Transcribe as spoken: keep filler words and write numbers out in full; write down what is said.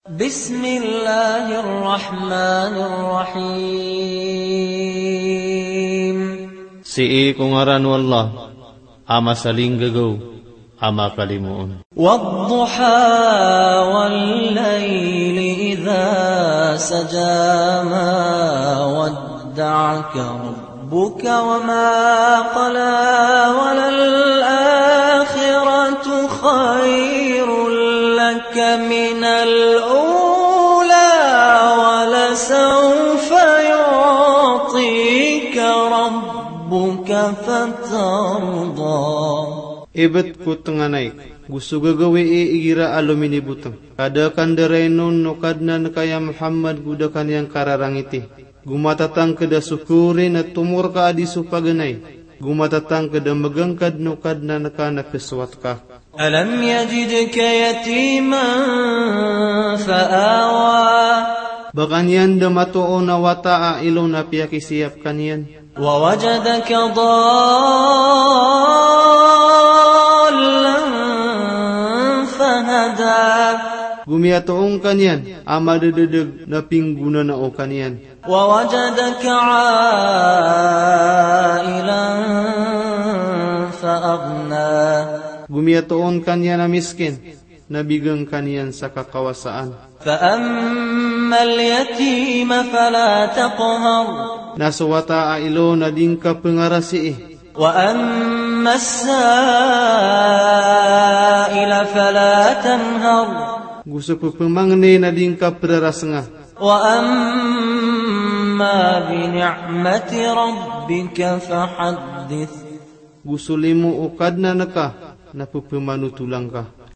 بسم الله الرحمن الرحيم. Sii ko ngaran o Allah a masalinggagaw a makalimoon. والضحى والليل إذا سجى. ما ودعك ربك وما قلى. وللآخرة خير لك من الأولى. ولسوف يعطيك ربك فترضى. Ibt ko tnganay, go so gagawii igira a lominibotng. Ka da ka ndarain on o Kadnan ka ya Muhammad go da ka niyan kararangiti. Go matatangkd a sokori na tomor ka a di so paganay. Go matatangkd a magangkad o Kadnan ka na psowat ka. ألم يجدك يتيما فآوى. Ba ka niyan da matoon a wata a ilo na piyakisiyap ka niyan. ووجدك ضالا فهدى. Go miyatoon ka niyan a madadadg na pinggonanao ka niyan. ووجدك عائلا فأغنى. Go miyatoon ka niyan a miskin na bigan ka niyan sa kakawasaan. فأما اليتيم فلا تقهر. Na so wata a ilo na di ngka pngarasii. وأما السائل فلا تنهر. Go so pphamangni na di ngka prarasnga. وأما بنعمة ربك فحدث. Go so limo o Kadnan ka na pphmanotolang ka.